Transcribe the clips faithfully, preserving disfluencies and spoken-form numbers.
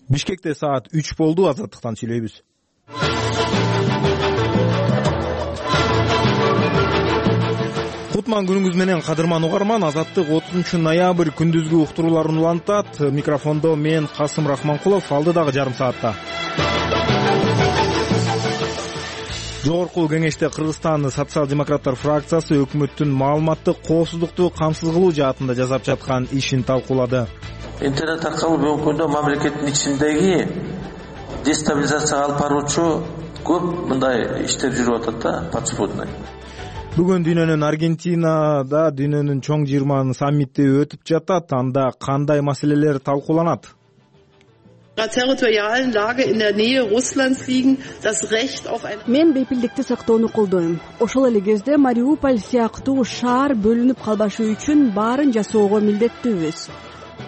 Бишкекте саат үч болду. Азаттыктан сүйлөйбүз. Кутман күнүңүз менен кадырман угарман. Азаттык отузунчу ноябрь күндүзгү уктурууларын улантат. Микрофондо мен Касым Рахманкулов. Алдыдагы жарым саатта Жогорку кеңеште Кыргызстан социал-демократтар фракциясы өкмөттүн маалыматтык коопсуздукту камсыз кылуу жаатында жасап жаткан ишин талкуулады. Интернет аркылуу бүгүнкү күндө мамлекеттин ичиндеги дестабилизацияга алып баруучу көп мындай иштер жүрүп атат да, подспудный. Бүгүн дүйнөнүн Аргентинада дүйнөнүн чоң жыйырма саммити өтүп жатат. Анда кандай маселелер талкууланат? Мен бейпилдикти сактоону колдойм. Ошол эле кезде Мариуполь сыяктуу шаар бөлүнүп калбашы үчүн баарын жасоого милдеттүүбүз.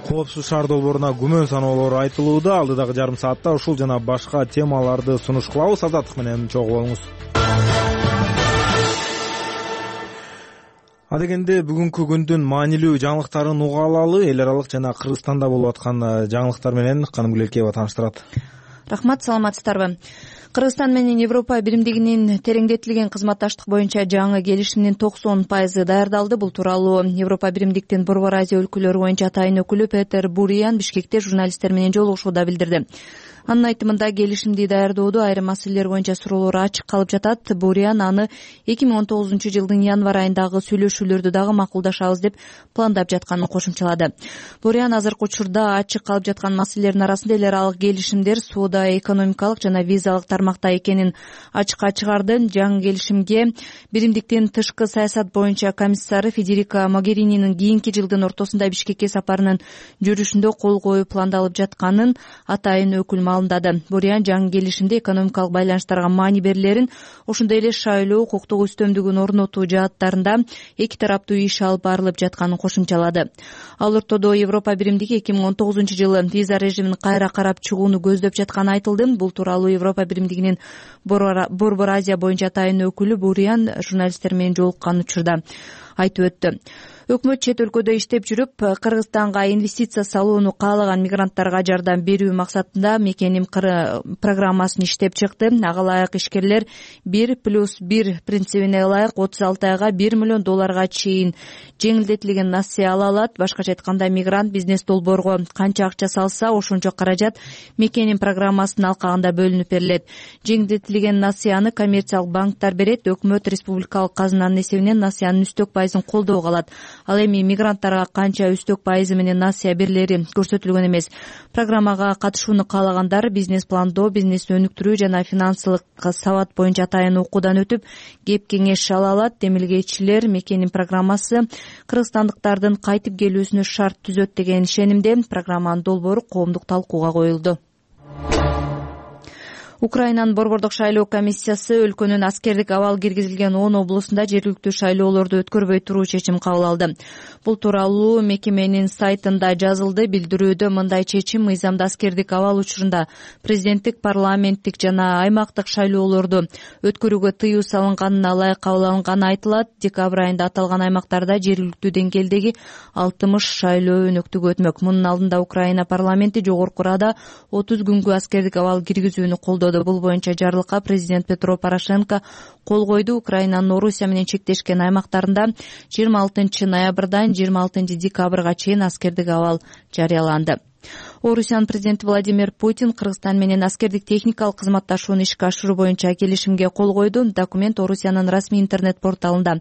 Коопсуз шаар долборуна күмөн саноолор айтылууда. Алдыдагы жарым саатта ушул жана башка темаларды сунуш кылабыз. Азаттык менен чогуу болуңуз. Адегенде бүгүнкү күндүн маанилүү жаңылыктарын уга алалы. Эл аралык жана Кыргызстанда болуп аткан жаңылыктар менен Канымгүл Элкеева тааныштырат. Рахмат, саламатсыздарбы? Кыргызстан менен Европа биримдигинин тереңдетилген кызматташтык боюнча жаңы келишимдин токсон пайызы даярдалды. Бул тууралуу Европа биримдиктин Борбор Азия өлкөлөрү боюнча атайын өкүлү Петер Буриан Бишкекте журналисттер менен жолугушууда билдирди. Анын айтымында келишимди даярдоодо айрым маселелер боюнча суроолор ачык калып жатат. Буриан аны эки миң он тогузунчу жылдын январь айындагы сүйлөшүүлөрдү дагы макулдашабыз деп пландап жатканын кошумчалады. Буриан азыркы учурда ачык калып жаткан маселелердин арасында эл аралык келишимдер соода, экономикалык жана визалык тармакта экенин ачыкка чыгарды. Жаңы келишимге биримдиктин тышкы саясат боюнча комиссары Федерика Могерининин кийинки жылдын ортосунда Бишкекке сапарынын жүрүшүндө кол коюу пландалып жатканын атайын өкүл маалымдады. Буриан жаңы келишимде экономикалык байланыштарга маани берилерин, ошондой эле шайлоо укуктук үстөмдүгүн орнотуу жааттарында эки тараптуу иш алып барылып жатканын кошумчалады. Ал ортодо Европа биримдиги эки миң он тогузунчу жылы виза режимин кайра карап чыгууну көздөп жатканы айтылды. Бул тууралуу Европа биримдигинин Борбор Азия боюнча атайын өкүлү Буриан журналисттер менен жолуккан учурда айтып өттү. Өкмөт чет өлкөдө иштеп жүрүп, Кыргызстанга инвестиция салууну каалаган мигранттарга жардам берүү максатында Мекеним программасын иштеп чыкты. Ага ылайык ишкерлер бир плюс бир принцибине ылайык отуз алты айга бир миллион долларга чейин жеңилдетилген насыя ала алат. Башкача айтканда, мигрант бизнес долбоорго канча акча салса, ошончо каражат Мекеним программасынын алкагында бөлүнүп берилет. Жеңилдетилген насыяны коммерциялык банктар берет. Өкмөт республикалык казынанын эсебинен насыянын үстөк пайызын колдоого алат. Ал эми мигранттарга канча үстөк пайызы менен насыя берилери көрсөтүлгөн эмес. Программага катышууну каалагандар бизнес пландоо, бизнес өнүктүрүү жана финансылык сабат боюнча атайын окуудан өтүп, кеп кеңеш ала алат. Демилгечилер Мекеним программасы кыргызстандыктардын кайтып келүүсүнө шарт түзөт деген ишенимде. Программанын долбоору коомдук талкууга коюлду. Украинанын борбордук шайлоо комиссиясы өлкөнүн аскердик абал киргизилген он облусунда жергиликтүү шайлоолорду өткөрбөй туруу чечим кабыл алды. Бул тууралуу мекеменин сайтында жазылды. Билдирүүдө мындай чечим мыйзамда аскердик абал учурунда президенттик, парламенттик жана аймактык шайлоолорду өткөрүүгө тыюу салынганына ылайык кабыл алынганы айтылат. Декабрь айында аталган аймактарда жергиликтүү деңгээлдеги алтымыш шайлоо өнөктүгү өтмөк. Мунун алдында Украина парламенти Жогорку Рада отуз күнгө аскердик абал киргизүүнү колдоду. Бул боюнча жарлыкка президент Петро Порошенко кол койду. Украинанын Орусия менен чектешкен аймактарында жыйырма алтынчы ноябрдан жыйырма алтынчы декабрга чейин аскердик абал жарыяланды. Орусиянын президенти Владимир Путин Кыргызстан менен аскердик техникалык кызматташууну ишке ашыруу боюнча келишимге кол койду. Документ Орусиянын расмий интернет порталында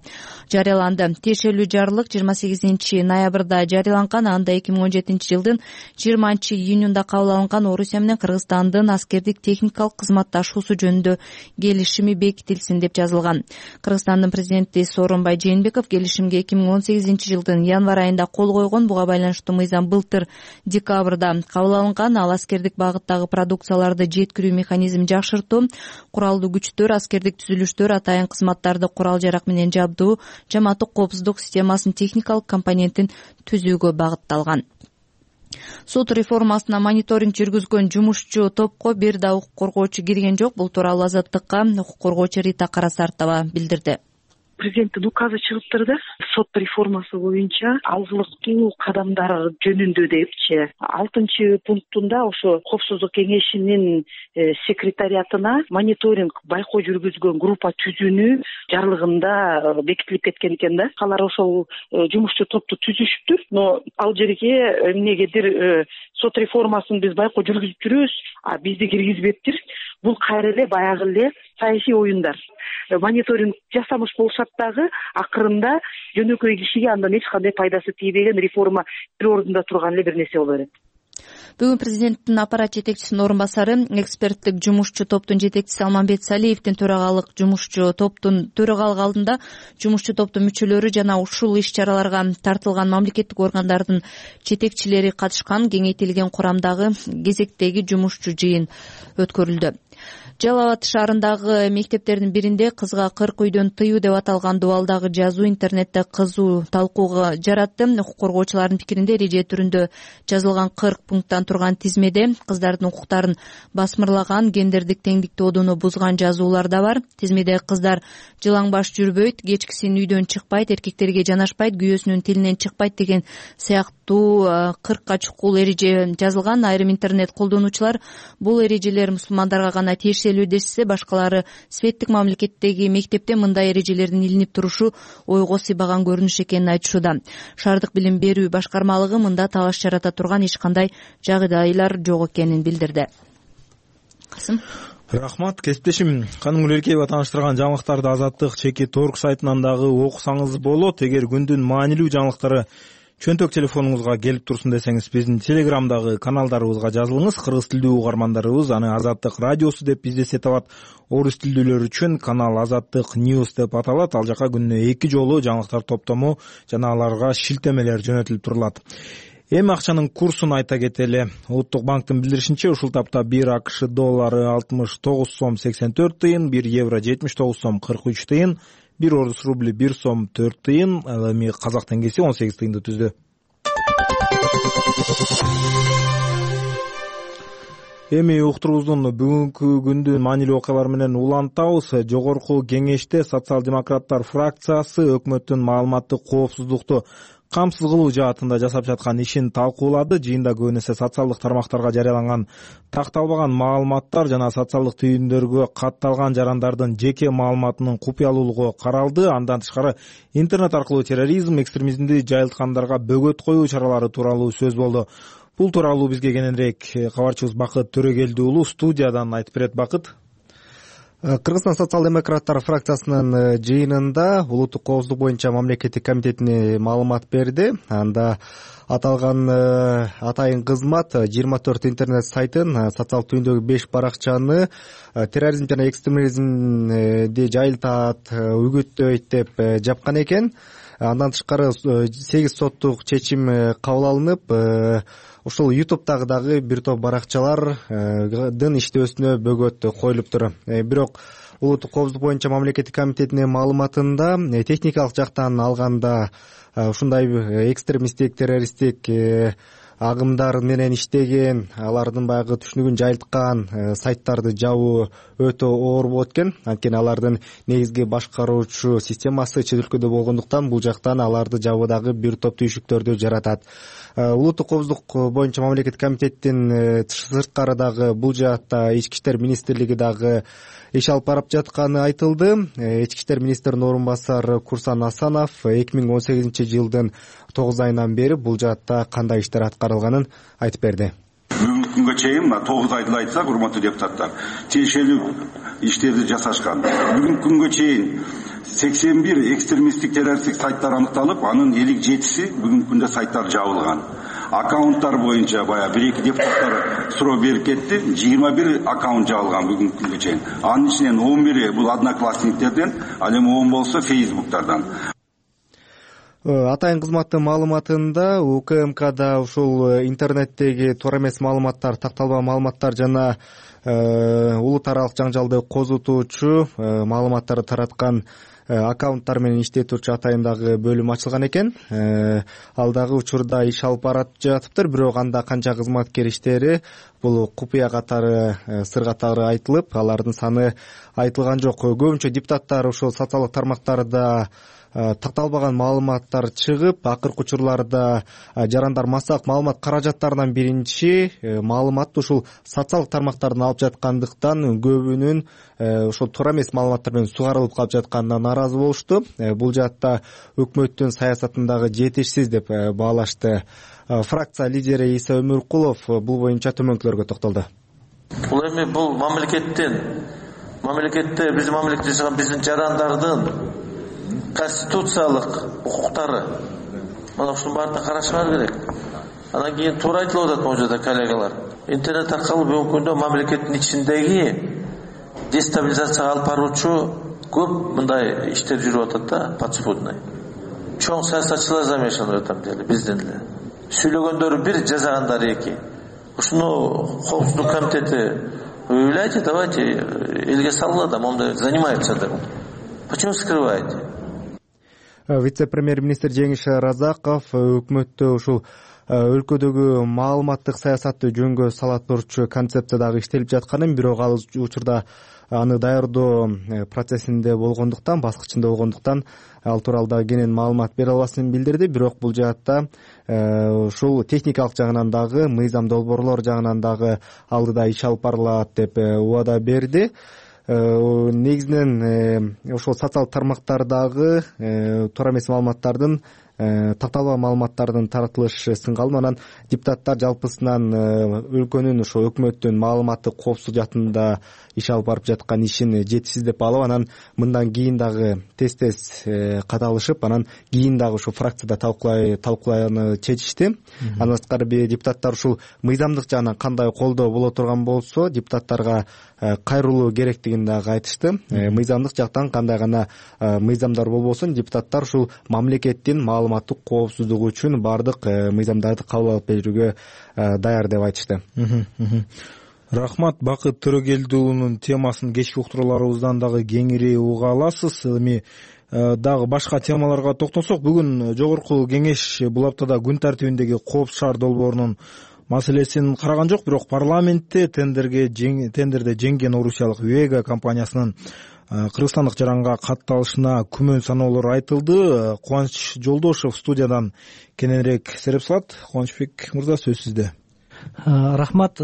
жарыяланды. Тиешелүү жарлык жыйырма сегизинчи ноябрда жарыяланган. Анда эки миң он жетинчи жылдын жыйырманчы июнунда кабыл алынган Орусия менен Кыргызстандын аскердик техникалык кызматташуусу жөнүндө келишими бекитилсин деп жазылган. Кыргызстандын президенти Сооронбай Жээнбеков келишимге эки миң он сегизинчи жылдын январь айында кол койгон. Буга байланыштуу мыйзам былтыр декабрда кабыл алынган. Ал аскердик багыттагы продукцияларды жеткирүү механизмин жакшыртуу, куралдуу күчтөр, аскердик түзүлүштөр, атайын кызматтарды курал жарак менен жабдуу, жамааттык коопсуздук системасынын техникалык компонентин түзүүгө багытталган. Сот реформасына мониторинг жүргүзгөн жумушчу топко бир да укук коргоочу кирген жок. Бул тууралуу Азаттыкка укук коргоочу Рита Карасартова билдирди. президенттин указы чыгыптыр да, сот реформасы боюнча алгылыктуу кадамдар жөнүндө депчи. алтынчы пунктунда ошо коопсуздук кеңешинин секретариатына мониторинг байкоо жүргүзгөн группа түзүүнү жарлыгында бекитилип кеткен экен да. Алар ошол жумушчу топту түзүшүптүр, но ал жерге эмнегедир сот реформасын биз байкоо жүргүзүп жүрөбүз, а бизди киргизбептир. Бул кайра эле баягы эле саясий оюндар. Мониторинг жасамыш болушат дагы, акырында жөнөкөй кишиге андан эч кандай пайдасы тийбеген, реформа бир ордунда турган эле бир нерсе боло берет. Бүгүн президенттин аппарат жетекчисинин орун басары, эксперттик жумушчу топтун жетекчиси Алмамбет Салиевдин төрагалык жумушчу топтун төрагалык алдында жумушчу топтун мүчөлөрү жана ушул иш-чараларга тартылган мамлекеттик органдардын жетекчилери катышкан кеңейтилген курамдагы кезектеги жумушчу жыйын өткөрүлдү. Жалал Абад шаарындагы мектептердин биринде кызга кырк үйдөн тыюу деп аталган дубалдагы жазуу интернетте кызуу талкууга жаратты. Укук коргоочулардын пикиринде эреже түрүндө жазылган кырк пункттан турган тизмеде кыздардын укуктарын басмырлаган, гендердик теңдик тоодуну бузган жазуулар да бар. Тизмеде кыздар жылаң баш жүрбөйт, кечкисин үйдөн чыкпайт, эркектерге жанашпайт, күйөөсүнүн тилинен чыкпайт деген сыяктуу кыркка чукул эреже жазылган. Айрым интернет колдонуучулар бул эрежелер мусулмандарга гана тиешелүү дешсе, башкалары светтик мамлекеттеги мектепте мындай эрежелердин илинип турушу ойго сыйбаган көрүнүш экенин айтышууда. Шаардык билим берүү башкармалыгы мында талаш жарата турган эч кандай жагдайлар жок экенин билдирди. Касым. Рахмат, кесиптешим. Каным Гүлеркеева тааныштырган жаңылыктарды Азаттык чеки торг сайтынан дагы окусаңыз болот. Эгер күндүн маанилүү жаңылыктары чөнтөк телефонуңузга келип турсун десеңиз, биздин телеграмдагы каналдарыбызга жазылыңыз. Кыргыз тилдүү угармандарыбыз аны Азаттык радиосу деп издесе табат. Орус тилдүүлөр үчүн канал Азаттык News деп аталат. Ал жака күнүнө эки жолу жаңылыктар топтому жана аларга шилтемелер жөнөтүлүп турулат. Эми акчанын курсун айта кетели. Улуттук банктын билдиришинче, ушул тапта бир АКШ доллары алтымыш тогуз сом сексен төрт тыйын, бир евро жетимиш тогуз сом кырк үч тыйын, бир орус рубли бир сом төрт тыйын, ал эми казак теңгеси он сегиз тыйынды түздү. Эми уктурубуздун бүгүнкү күндүн маанилүү окуялары менен улантабыз. Жогорку кеңеште социал-демократтар фракциясы өкмөттүн маалыматтык коопсуздукту камсыз кылуу жаатында жасап жаткан ишин талкуулады. Жыйында көбүн эсе социалдык тармактарга жарыяланган такталбаган маалыматтар жана социалдык түйүндөргө катталган жарандардын жеке маалыматынын купуялуулугу каралды. Андан тышкары интернет аркылуу терроризм, экстремизмди жайылткандарга бөгөт коюу чаралары тууралуу сөз болду. Бул тууралуу бизге кененирээк кабарчыбыз Бакыт Төрөгелди уулу студиядан айтып берет. Бакыт. Кыргызстан социал-демократтар фракциясынын жыйынында улуттук коопсуздук боюнча мамлекеттик комитетине маалымат берди. Анда аталган атайын кызмат жыйырма төрт интернет сайтын, социалдык түйүндөгү беш баракчаны терроризм жана экстремизмди жайылтат, үгүттөйт деп жапкан экен. Андан тышкары сегиз соттук чечим кабыл алынып, ушул ютубтагы дагы бир топ баракчалардын иштөөсүнө бөгөт коюлуптур. Бирок улуттук коопсуздук боюнча мамлекеттик комитетинин маалыматында техникалык жактан алганда ушундай экстремисттик, террористтик агымдар менен иштеген, алардын баягы түшүнүгүн жайылткан сайттарды жабуу өтө оор болот экен. Анткени алардын негизги башкаруучу системасы чет өлкөдө болгондуктан бул жактан аларды жабуудагы бир топ түйшүктөрдү жаратат. Улуттук коопсуздук боюнча мамлекеттик комитеттин сырткары дагы бул жаатта Ички иштер министрлиги дагы иш алып барып жатканы айтылды. Ички иштер министринин орун басары Курсан Асанов эки миң он сегизинчи жылдын тогуз айынан бери бул жаатта кандай иштер аткарылганын айтып берди. Бүгүнкү күнгө чейин тогуз айды айтсак, урматтуу депутаттар, тиешелүү иштерди жасашкан. Бүгүнкү күнгө чейин сексен бир экстремисттик террористтик сайттар аныкталып, анын элүү жетиси бүгүнкү күндө сайттар жабылган. Аккаунттар боюнча баягы бир эки депутаттар суроо берип кетти, жыйырма бир аккаунт жабылган бүгүнкү күнгө чейин. Анын ичинен он бири бул одноклассниктерден, ал эми он болсо фейсбуктардан. Атайын кызматтын маалыматында УКМКда ушул интернеттеги туура эмес маалыматтар, такталбаган маалыматтар жана улут аралык жаңжалды козутуучу маалыматтарды тараткан аккаунттар менен иштетүүчү атайындагы бөлүм ачылган экен. Ал дагы учурда иш алып барып жатыптыр, бирок анда канча кызматкер иштери бул купуя катары, сыр катары айтылып, алардын саны айтылган жок. Көбүнчө депутаттар ошол социалдык тармактарда такталбаган маалыматтар чыгып, акыркы учурларда жарандар массалык маалымат каражаттарынан биринчи маалыматты ушул социалдык тармактардан алып жаткандыктан көбүнүн ошол туура эмес маалыматтар менен сугарылып калып жатканына нааразы болушту. Бул жаатта өкмөттүн саясатындагы жетишсиз деп баалашты. Фракция лидери Иса Өмүркулов бул боюнча төмөнкүлөргө токтолду. Бул эми бул мамлекеттин мамлекетте биздин мамлекетте жашаган биздин жарандардын конституциялык укуктары. Мына ушунун баардыгын карашыбар керек. Анан кийин туура айтылып атат могу жерде коллегалар. Интернет аркылуу бүгүнкү күндө мамлекеттин ичиндеги дестабилизацияга алып баруучу көп мындай иштер жүрүп атат да, подспудный. Чоң саясатчылар замешаны в этом деле, биздин эле. Сүйлөгөндөрү бир, жазагандары эки. Ушуну коопсуздук комитети выявляйте, давайте элге салгыла да, монда занимается деп. Почему скрываете? Вице-премьер-министр Жеңиш Разаков өкмөттө ушул өлкөдөгү маалыматтык саясатты жөнгө сала турчу концепция дагы иштелип жатканын, бирок ал учурда аны даярдоо процессинде болгондуктан, баскычында болгондуктан ал тууралуу дагы кенен маалымат бере албасын билдирди. Бирок бул жаатта ушул техникалык жагынан дагы, мыйзам долбоорлор жагынан дагы алдыда иш алып барылат деп убада берди. Негизинен ошол социалдык тармактардагы туура эмес маалыматтардын, такталбаган маалыматтардын таратылышы сынга алынып, анан депутаттар жалпысынан өлкөнүн ошо өкмөттүн маалыматтык коопсуздук жаатында иш алып барып жаткан ишин жетишсиз деп алып, анан мындан кийин дагы тез-тез каталышып, анан кийин дагы ошо фракцияда талкуулай талкуулаяны чечишти. Андан сырткары депутаттар ушул мыйзамдык жагынан кандай колдоо боло турган болсо, депутаттарга кайрылуу керектигин дагы айтышты. Мыйзамдык жактан кандай гана мыйзамдар болбосун, депутаттар ушул мамлекеттин маалыматтык коопсуздугу үчүн баардык мыйзамдарды кабыл алып берүүгө даяр деп айтышты. Рахмат. Бакыт Төрөгелди уулунун темасын кечки уктурууларыбыздан дагы кеңири уга аласыз. Эми дагы башка темаларга токтолсок, бүгүн жогорку кеңеш бул аптада күн тартибиндеги Коопсуз шаар долбоорунун маселесин караган жок, бирок парламентте тендерге тендерде жеңген орусиялык Вега компаниясынын кыргызстандык жаранга катталышына күмөн саноолор айтылды. Кубаныч Жолдошев студиядан кененирээк сереп салат. Кубанычбек мырза, сөз сизде. Рахмат.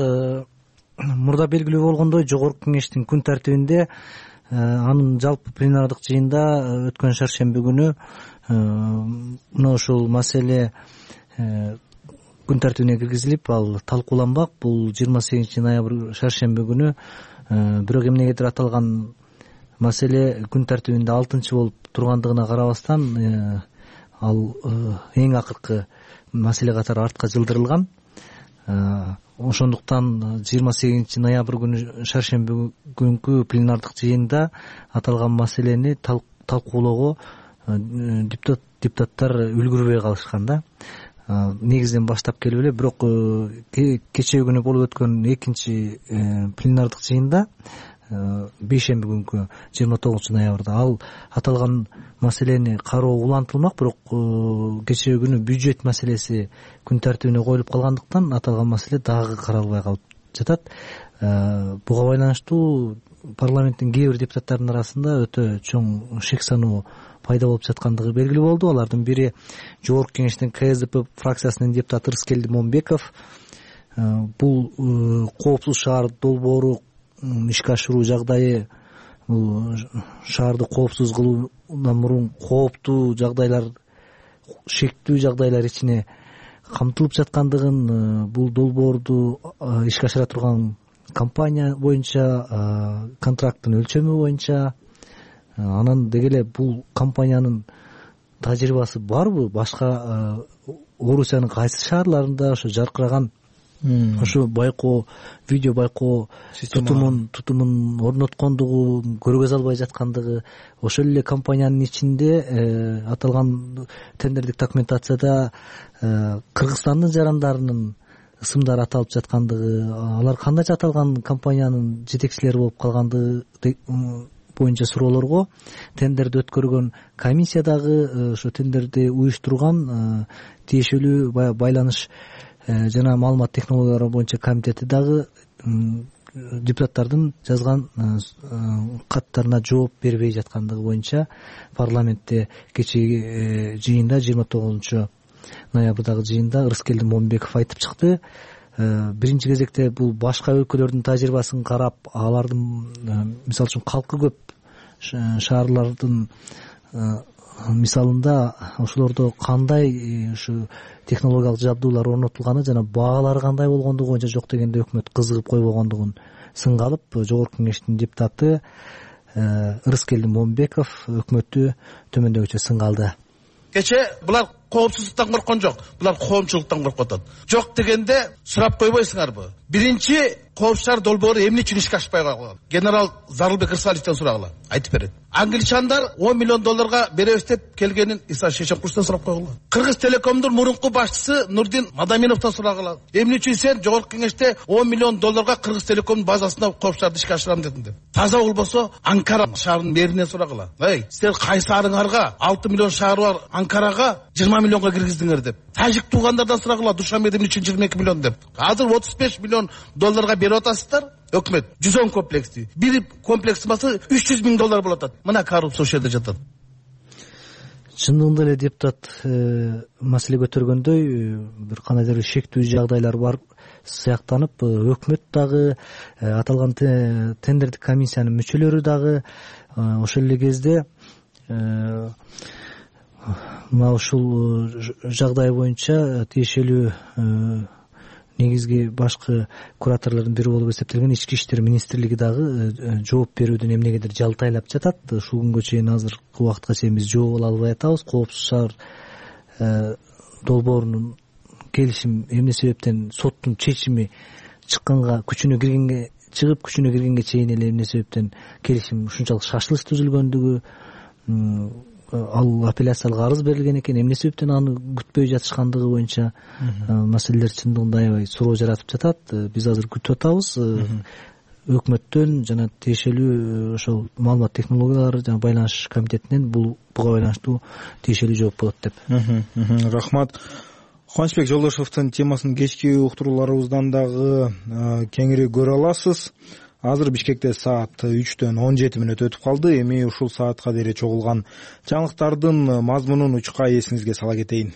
Мурда белгилүү болгондой, жогорку кеңештин күн тартибинде анын жалпы пленардык жыйында өткөн шаршемби күнү мына ушул маселе күн тартибине киргизилип, ал талкууланбак. Бул жыйырма сегизинчи ноябрь шаршемби күнү. Бирок эмнегедир аталган маселе күн тартибинде алтынчы болуп тургандыгына карабастан ал эң акыркы маселе катары артка жылдырылган. Ошондуктан жыйырма сегизинчи ноябрь күнү шаршемби күнкү пленардык жыйында аталган маселени талкуулоого депутаттар үлгүрбөй калышкан да. Негизинен баштап келип эле, бирок кечээ күнү болуп өткөн экинчи пленардык жыйында, бейшемби күнкү жыйырма тогузунчу ноябрда ал аталган маселени кароо улантылмак, бирок кечээ күнү бюджет маселеси күн тартибине коюлуп калгандыктан аталган маселе дагы каралбай калып жатат. Буга байланыштуу парламенттин кээ бир депутаттарынын арасында өтө чоң шек саноо пайда болуп жаткандыгы белгилүү болду. Алардын бири жогорку кеңештин КСДП фракциясынын депутаты Рыскелди Момбеков. Бул Коопсуз шаар долбоору ишке ашыруу жагдайы, бул шаарды коопсуз кылуудан мурун кооптуу жагдайлар, шектүү жагдайлар ичине камтылып жаткандыгын, бул долбоорду ишке ашыра турган компания боюнча, контракттын өлчөмү боюнча, анан деги эле бул компаниянын тажрыйбасы барбы, башка Орусиянын кайсы шаарларында ошо жаркыраган ошо байкоо, видео байкоо тутумун тутумун орноткондугу, көргөзө албай жаткандыгы, ошол эле компаниянын ичинде аталган тендердик документацияда Кыргызстандын жарандарынын ысымдары аталып жаткандыгы, алар кандайча аталган компаниянын жетекчилери болуп калгандыгы боюнча суроолорго тендерди өткөргөн комиссия дагы ошо тендерди уюштурган тиешелүү байланыш жана маалымат технологиялары боюнча комитети дагы депутаттардын жазган каттарына жооп бербей жаткандыгы боюнча парламентте кечээги жыйында жыйырма тогузунчу ноябрдагы жыйында Ырыскелди Момунбеков айтып чыкты. Биринчи кезекте бул башка өлкөлөрдүн тажрыйбасын карап, алардын мисалы үчүн калкы көп шаарлардын мисалында ошолордо кандай ушу технологиялык жабдуулар орнотулганы жана баалары кандай болгондугу боюнча жок дегенде өкмөт кызыгып койбогондугун сынга алып, жогорку кеңештин депутаты Ырыскелди Момунбеков өкмөттү төмөндөгүчө сынга алды. Кече булар коопсуздуктан корккон жок, булар коомчулуктан коркуп атат. Жок дегенде сурап койбойсуңарбы? Биринчи коопсуздар долбоору эмне үчүн ишке ашпай калган? Генерал Зарылбек Рысаловдон сурагыла, айтып берет. Англичандар он миллион долларга беребиз деп келгенин Иса Шешенкуловдон сурап койгула. Кыргыз Телекомдун мурунку башчысы Нурдин Мадаминовдон сурагыла. Эмне үчүн сен жогорку кеңеште он миллион долларга Кыргыз Телекомдун базасына коопсуздарды ишке ашырам дедиң деп. Таза болбосо Анкара шаарынын мэринен сурагыла. Эй, силер кайсарыңарга алты миллион шаары бар Анкарага жыйырма миллионго киргиздиңер деп. Тажик туугандардан сурагыла, Душанбеде эмне үчүн жыйырма эки миллион деп. Азыр отуз беш миллион долларга берип атасыздар. Өкмөт жүз он комплексти. Бир комплекс басы үч жүз миң доллар болот. Мына коррупция ошол жерде жатат. Чындыгында эле депутат маселе көтөргөндөй бир кандайдыр бир шектүү жагдайлар бар сыяктанып, өкмөт дагы аталган тендердик комиссиянын мүчөлөрү дагы ошол эле кезде мына ушул жагдай боюнча тиешелүү негизги башкы кураторлордун бири болуп эсептелген Ички иштер министрлиги дагы жооп берүүдөн эмнегедир жалтайлап жатат. Ушул күнгө чейин азыркы убакытка чейин биз жооп ала албай атабыз. Коопсуз шаар долбоорунун келишим эмне себептен соттун чечими чыкканга, күчүнө киргенге чыгып күчүнө киргенге чейин эле эмне себептен келишим ушунчалык шашылыш түзүлгөндүгү, ал апелляциялык арыз берилген экен, эмне себептен аны күтпөй жатышкандыгы боюнча маселелер чындыгында аябай суроо жаратып жатат. Биз азыр күтүп атабыз өкмөттөн жана тиешелүү ошол маалымат технологиялары жана байланыш комитетинен бул буга байланыштуу тиешелүү жооп болот деп. Рахмат. Кубанычбек Жолдошевдун темасын кечки уктурууларыбыздан дагы кеңири көрө аласыз. Азыр Бишкекте саат үчтөн он жети мүнөт өтүп калды. Эми ушул саатка дейин чогулган жаңылыктардын мазмунун учка эсиңизге сала кетейин.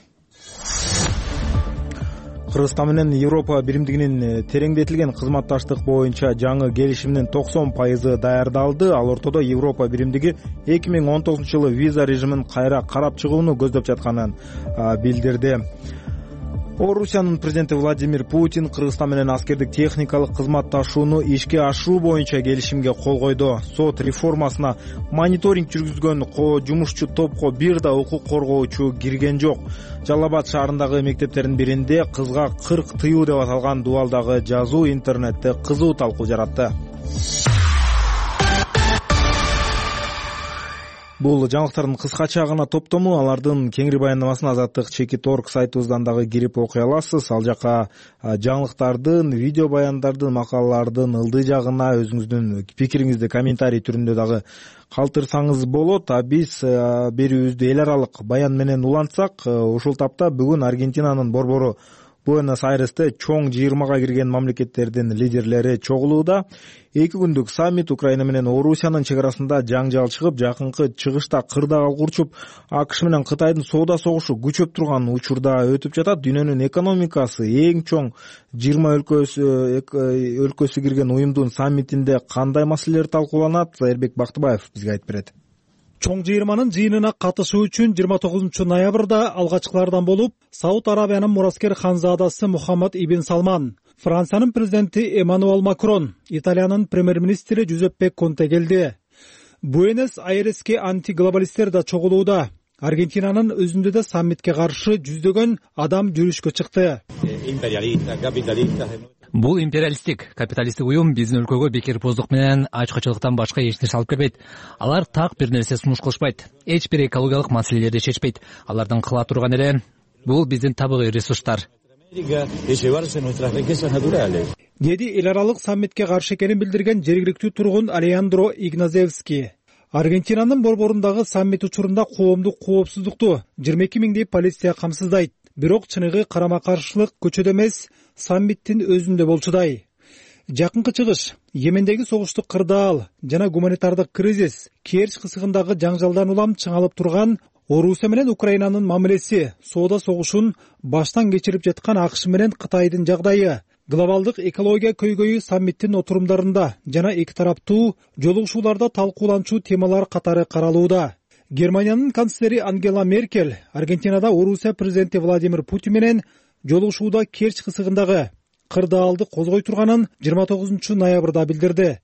Кыргызстан менен Европа биримдигинин тереңдетилген кызматташтык боюнча жаңы келишимдин токсон пайызы даярдалды. Ал ортодо Европа биримдиги эки миң он тогузунчу жылы виза режимин кайра карап чыгууну көздөп жатканын билдирди. Орусиянын президенти Владимир Путин Кыргызстан менен аскердик техникалык кызматташууну ишке ашыруу боюнча келишимге кол койду. Сот реформасына мониторинг жүргүзгөн жумушчу топко бир да укук коргоочу кирген жок. Жалал Абад шаарындагы мектептердин биринде кызга кырк тыюу деп аталган дубалдагы жазуу интернетте кызуу талкуу жаратты. Бул жаңылыктардын кыскача гана топтому, алардын кеңири баяндамасын Азаттык чекит точка орг сайтыбыздан дагы кирип окуй аласыз. Ал жака жаңылыктардын, видео баяндардын, макалалардын ылдый жагына өзүңүздүн пикириңизди комментарий түрүндө дагы калтырсаңыз болот. А биз берүүбүздү эл аралык баян менен улантсак, ушул тапта бүгүн Аргентинанын борбору Буэнос-Айресте чоң жыйырмага кирген мамлекеттердин лидерлери чогулууда. Эки күндүк саммит Украина менен Орусиянын чек арасында жаңжал чыгып, жакынкы чыгышта кырдаал курчуп, АКШ менен Кытайдын соода согушу күчөп турган учурда өтүп жатат. Дүйнөнүн экономикасы эң чоң жыйырма өлкөсү өлкөсү кирген уюмдун саммитинде кандай маселелер талкууланат? Эрбек Бактыбаев бизге айтып берет. Чоң жыйырманын жыйынына катышуу үчүн жыйырма тогузунчу ноябрда алгачкылардан болуп Сауд Арабиянын мураскер ханзадасы Мухаммад ибн Салман, Франциянын президенти Эммануэл Макрон, Италиянын премьер-министри Джузеппе Конте келди. Буэнос-Айреске антиглобалисттер да чогулууда. Аргентинанын өзүндө да саммитке каршы жүздөгөн адам жүрүшкө чыкты. Бул империалисттик, капиталисттик уюм биздин өлкөгө бекерпоздук менен ачкычылыктан башка эч нерсе алып келбейт. Алар так бир нерсе сунуш кылышпайт. Эч бир экологиялык маселелерди чечпейт. Алардын кыла турган эле бул биздин табигый ресурстар. Деди эл аралык саммитке каршы экенин билдирген жергиликтүү тургун Алеандро Игназевский. Аргентинанын борборундагы саммит учурунда коомдук коопсуздукту жыйырма эки миңдей полиция камсыздайт. Бирок чыныгы карама каршылык көчөдө эмес, саммиттин өзүндө болчудай. Жакынкы Чыгыш, Йемендеги согуштук кырдаал жана гуманитардык кризис, Керчь кысыгындагы жаңжалдан улам чыңалып турган Орусия менен Украинанын мамилеси, соода согушун баштан кечирип жаткан АКШ менен Кытайдын жагдайы, глобалдык экология көйгөйү саммиттин отурумдарында жана эки тараптуу жолугушууларда талкууланчу темалар катары каралууда. Германиянын канцлери Ангела Меркель Аргентинада Орусия президенти Владимир Путин менен жолугушууда Керчь кысыгындагы кырдаалды козгой турганын жыйырма тогузунчу ноябрда билдирди.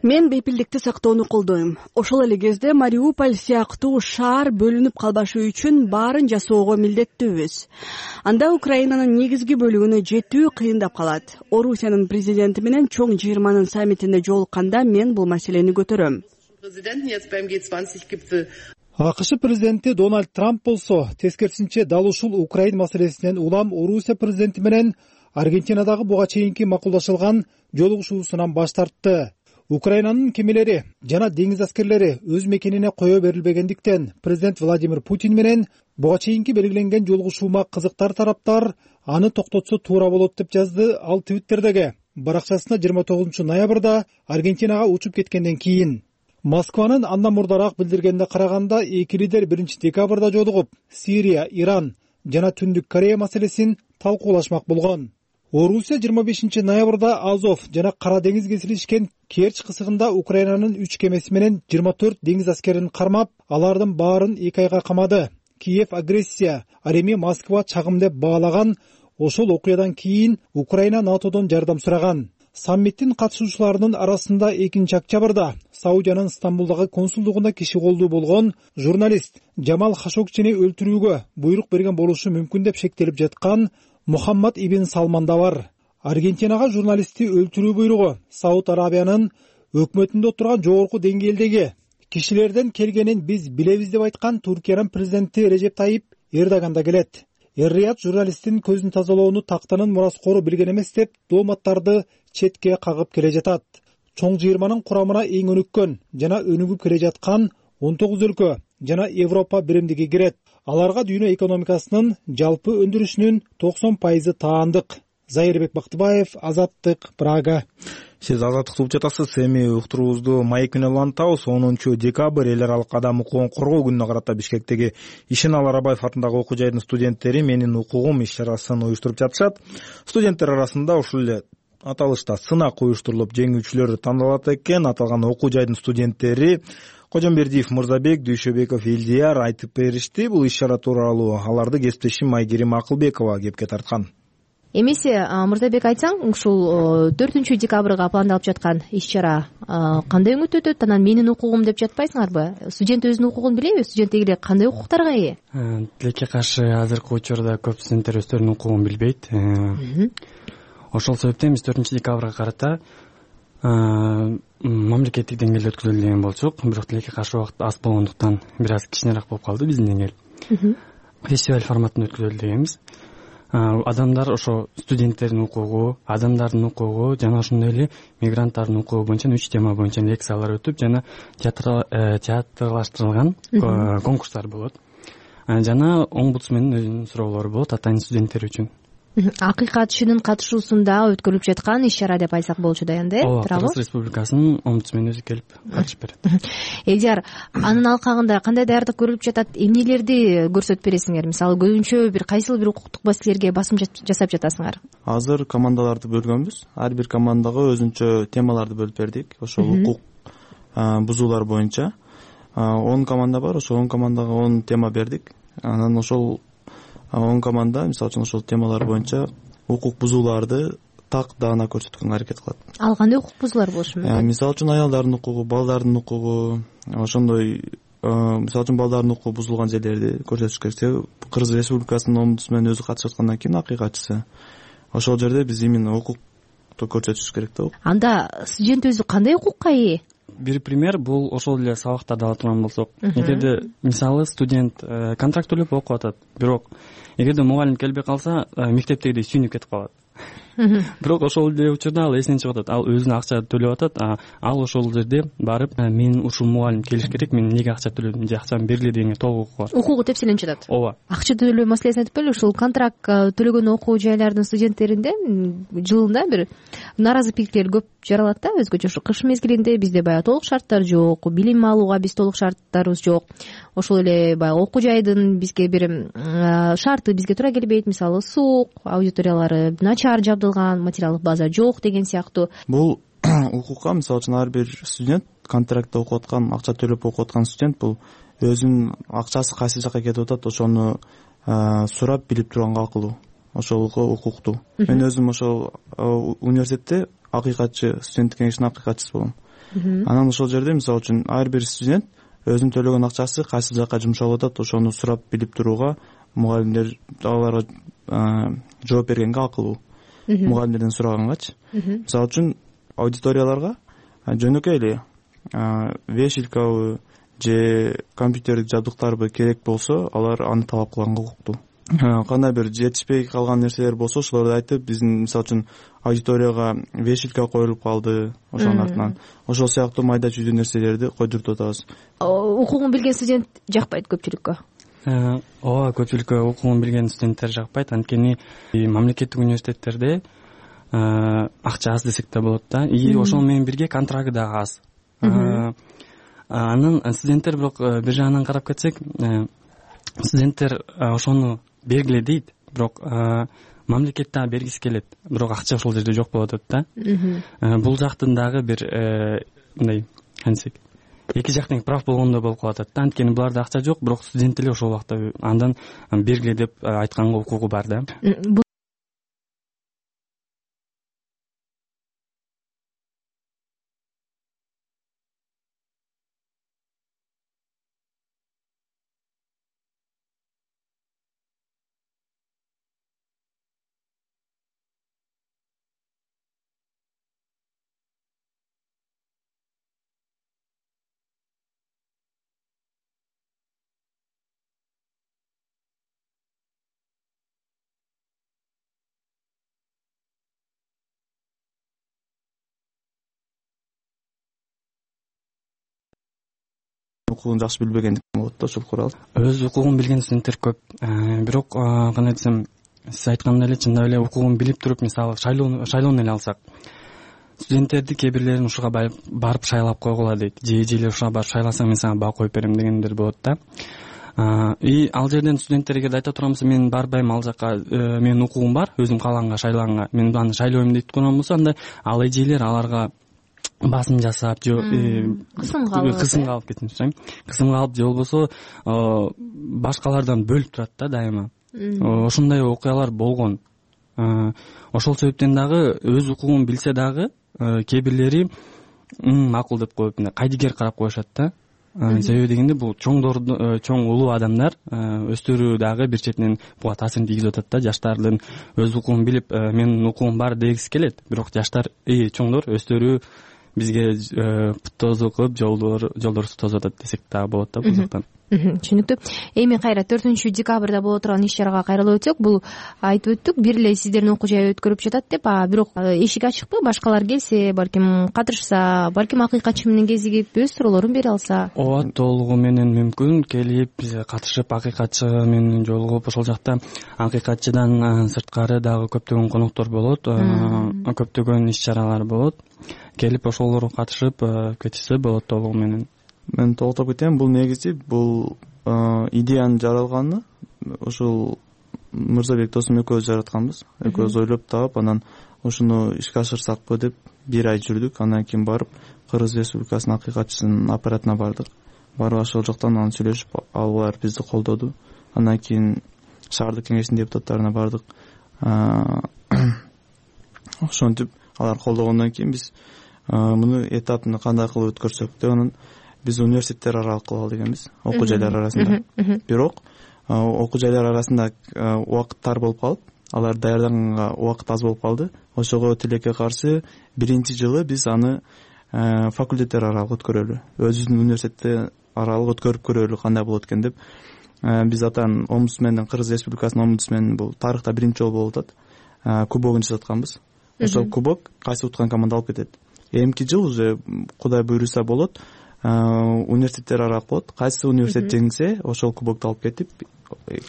Мен бейпилдикти сактоону колдойм. Ошол эле кезде Мариуполь сыяктуу шаар бөлүнүп калбашы үчүн баарын жасоого милдеттүүбүз. Анда Украинанын негизги бөлүгүнө жетүү кыйындап калат. Орусиянын президенти менен чоң жыйырманын саммитинде жолукканда мен бул маселени көтөрөм. АКШ президенти Дональд Трамп болсо тескерисинче дал ушул Украин маселесинен улам Орусия президенти менен Аргентинадагы буга чейинки макулдашылган жолугушуусунан баш тартты. Украинанын кемелери жана деңиз аскерлери өз мекенине кое берилбегендиктен президент Владимир Путин менен буга чейинки белгиленген жолугушуума кызыктар тараптар аны токтотсо туура болот деп жазды ал Твиттердеги баракчасына жыйырма тогузунчу ноябрда Аргентинага учуп кеткенден кийин. Москванын андан мурдараак билдиргенине караганда эки лидер биринчи декабрда жолугуп, Сирия, Иран жана Түндүк Корея маселесин талкуулашмак болгон. Орусия жыйырма бешинчи ноябрда Азов жана Кара деңиз кесилишкен Керчь кысыгында Украинанын үч кемеси менен жыйырма төрт деңиз аскерин кармап, алардын баарын эки айга камады. Киев агрессия, ал эми Москва чагым деп баалаган. Ошол окуядан кийин Украина НАТОдон жардам сураган. Саммиттин катышуучуларынын арасында экинчи октябрда Саудиянын Стамбулдагы консулдугунда киши колдуу болгон журналист Жамал Хашогчини өлтүрүүгө буйрук берген болушу мүмкүн деп шектелип жаткан Мухаммад ибн Салман да бар. Аргентинага журналистти өлтүрүү буйругу Сауд Арабиянын өкмөтүндө отурган жогорку деңгээлдеги кишилерден келгенин биз билебиз деп айткан Туркиянын президенти Режеп Тайип Эрдоган да келет. Эр-Рияд журналисттин көзүн тазалоону тактанын мураскору билген эмес деп дооматтарды четке кагып келе жатат. Чоң жыйырманын курамына эң өнүккөн жана өнүгүп келе жаткан он тогуз өлкө жана Европа биримдиги кирет. Аларга дүйнө экономикасынын жалпы өндүрүшүнүн токсон пайызы таандык. Зайырбек Бактыбаев, Азаттык, Прага. Сиз Азаттыкты угуп жатасыз. Эми уктуруубузду маек менен улантабыз. онунчу декабрь эл аралык адам укугун коргоо күнүнө карата Бишкектеги Ишенал Арабаев атындагы окуу жайдын студенттери менин укугум иш чарасын уюштуруп жатышат. Студенттер арасында ушул эле аталышта сынак уюштурулуп, жеңүүчүлөр тандалат экен. Аталган окуу жайдын студенттери Кожомбердиев Мырзабек, Дүйшөбеков Илдияр айтып беришти. Бул иш чара тууралуу аларды кесиптешим Айгерим Акылбекова кепке тарткан. Эмесе Мырзабек, айтсаң, ушул төртүнчү декабрга пландалып жаткан иш чара кандай өңүт өтөт? Анан менин укугум деп жатпайсыңарбы? Студент өзүнүн укугун билеби? Студент дегиле кандай укуктарга ээ? Тилекке каршы азыркы учурда көп студенттер өздөрүнүн укугун билбейт. Ошол себептен биз төртүнчү декабрга карата мамлекеттик деңгээлде өткүзөлү деген болчук. Бирок тилекке каршы убакыт аз болгондуктан бир аз кичинерээк болуп калды биздин деңгээл. Фестиваль форматында өткүзөлү дегенбиз. Адамдар ошо студенттердин укугу, адамдардын укугу жана ошондой эле мигранттардын укугу боюнча үч тема боюнча лекциялар өтүп, жана театрлаштырылган конкурстар болот. Жана омбудсмендин өзүнүн суроолору болот атайын студенттер үчүн. Акыйкатчынын катышуусунда өткөрүлүп жаткан иш чара деп айтсак болчу да энди, тууурабы? Кыргыз Республикасынын омбудсмени өзү келип катышып берет. Элдияр, анын алкагында кандай даярдык көрүлүп жатат? Эмнелерди көрсөтүп бересиңер? Мисалы, көбүнчө бир кайсыл бир укуктук маселелерге басым жасап жатасыңар? Азыр командаларды бөлгөнбүз. Ар бир командага өзүнчө темаларды бөлүп бердик. Ошол укук бузуулар боюнча он команда бар. Ошол он командага он тема бердик. Анан ошол он команда, мисалы үчүн, ошол темалар боюнча укук бузууларды так даана көрсөткөнгө аракет кылат. Ал кандай укук бузуулар болушу мүмкүн? Мисалы үчүн, аялдардын укугу, балдардын укугу, ошондой, мисалы үчүн, балдардын укугу бузулган жерлерди көрсөтүш керек. Кыргыз Республикасынын омбудсмени өзү катышып аткандан кийин акыйкатчысы. Ошол жерде биз именно укукту көрсөтүш керек да. Анда студент өзү кандай укукка ээ? Бир пример бул ошол эле сабактарды ала турган болсок, эгерде мисалы студент контракт төлөп окуп атат, бирок эгерде мугалим келбей калса, мектептегидей сүйүнүп кетип калат. бирок ошол эле учурда ал эсинен чыгып атат, ал өзүнө акча төлөп атат, ал ошол жерде барып мен ушул мугалим келиш керек, мен эмнеге акча төлөдүм же акчамы бергиле дегенге толук укугу бар, укугу тепселенип жатат. ооба, акча төлөө маселесин айтып беле, ушул контракт төлөгөн окуу жайлардын студенттеринде жылында бир нааразы пикирлер көп жаралат да, өзгөчө ушу кыш мезгилинде бизде баягы толук шарттар жок, билим алууга биз толук шарттарыбыз жок, ошол эле баягы окуу жайдын бизге бир шарты бизге туура келбейт, мисалы суук, аудиториялары начар жабдылган, материалдык база жок деген сыяктуу. Бул укукка мисалы үчүн ар бир студент, контрактта окуп аткан, акча төлөп окуп аткан студент бул өзүнүн акчасы кайсы жака кетип атат ошону сурап билип турганга акылуу, ошолго укуктуу. Мен өзүм ошол университетте акыйкатчы, студенттик кеңештин акыйкатчысы болом. Анан ошол жерде мисалы үчүн ар бир студент өзүнүн төлөгөн акчасы кайсы жака жумшалып атат ошону сурап билип турууга мугалимдер аларга жооп бергенге акылуу. Мугалимдерден сурагангачы. Мисалы үчүн аудиторияларга жөнөкөй эле вешилкабы же компьютердик жабдыктарбы керек болсо алар аны талап кылганга укуктуу. Кандай бир жетишпей калган нерселер болсо ошолорду айтып, биздин мисалы үчүн аудиторияга вешилка коюлуп калды, ошонун артынан ошол сыяктуу майда чүйдүү нерселерди койдуртуп атабыз. Укугун билген студент жакпайт көпчүлүккө. ооба, көпчүлүккө укугун билген студенттер жакпайт, анткени мамлекеттик университеттерде акча аз десек да болот да, и ошол менен бирге контракты дагы аз. Анан студенттер бирок бир жагынан карап кетсек, студенттер ошону бергиле дейт, бирок мамлекет дагы бергиси келет, бирок акча ошол жерде жок болуп атат да. Бул жактын дагы бир мындай кантсек эки жак тең прав болгондой болуп калып атат да, анткени буларда акча жок, бирок студент деле ошол убакта андан бергиле деп айтканга укугу бар да. Укугун жакшы билбегендик болот да ошол курал. Өз укугун билген студенттер көп, бирок кандай десем, сиз айткандай эле чындап эле укугун билип туруп, мисалы шайлоону эле алсак, студенттерди кээ бирлерин ушуга барып шайлап койгула дейт, же эжелер ушуга барып шайласаң мен сага баа коюп берем дегендер болот да. И ал жерден студенттерге айтып турган болсо, мен барбайм ал жака, менин укугум бар, өзүм каалаганга шайлаганга, мен аны шайлойм дейт турган болсо, анда ал эжелер аларга басым жасап, же кысымга алып кысымга алып кетинчи, кысымга алып же болбосо башкалардан бөлүп турат да дайыма. Ошондой окуялар болгон. Ошол себептен дагы өз укугун билсе дагы кээ бирлери макул деп коюп кайдыгер карап коюшат да. Себеби дегенде бул чоңдор, чоң улуу адамдар өстөрү дагы бир четинен буга таасирин тийгизип атат да. Жаштардын өз укугун билип, менин укугум бар дегиси келет, бирок жаштар, эй чоңдор, өстөрү бизге тозу кылып жолдорубузду тосуп атат десек дагы болот да бул жактан. Түшүнүктүү. Эми кайра төртүнчү декабрда боло турган иш чарага кайрылып өтсөк, бул айтып өттүк, бир эле сиздердин окуу жай өткөрүп жатат деп, а бирок эшик ачыкпы, башкалар келсе, балким катышса, балким акыйкатчы менен кезигип өз суроолорун бере алса. Ооба, толугу менен мүмкүн, келип катышып акыйкатчы менен жолугуп, ошол жакта акыйкатчыдан сырткары дагы көптөгөн коноктор болот, көптөгөн иш чаралар болот. Келип ошолорго катышып кетишсе болот толугу менен. Мен толуктап кетем, бул негизи бул идеянын жаралганы ошол Мырзабек досум экөөбүз жаратканбыз. Экөөбүз ойлоп таап, анан ушуну ишке ашырсакпы деп бир ай жүрдүк. Андан кийин барып Кыргыз Республикасынын акыйкатчысынын аппаратына бардык. Барып ошол жактан анан сүйлөшүп, алар бизди колдоду. Андан кийин шаардык кеңештин депутаттарына бардык. Ошентип алар колдогондон кийин биз муну этапын кандай кылып өткөрсөк деп анан биз университеттер аралык кылалы дегенбиз, окуу жайлар арасында. Бирок окуу жайлар арасында убакыт тар болуп калып, алар даярданганга убакыт аз болуп калды. Ошого тилекке каршы биринчи жылы биз аны факультеттер аралык өткөрөлү, өзүбүздүн университетте аралык өткөрүп көрөлү кандай болот экен деп. Биз атан омбудсмендин, Кыргыз Республикасынын омбудсмендин бул тарыхта биринчи жолу болуп атат, кубогун жасатканбыз. ошол кубок кайсы уткан команда алып кетет. Эмки жыл уже Кудай буйруса болот, университеттер аралык болот. Кайсы университет жеңсе, ошол кубокту алып кетип,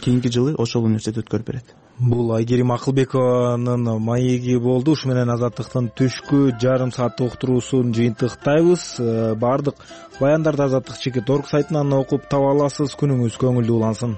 кийинки жылы ошол университет өткөрүп берет. Бул Айгерим Акылбекованын маеги болду. Ушу менен Азаттыктын түшкү жарым сааттык уктуруусун жыйынтыктайбыз. Баардык баяндарды Азаттык чекит орг сайтынан окуп таба аласыз. Күнүңүз көңүлдүү улансын.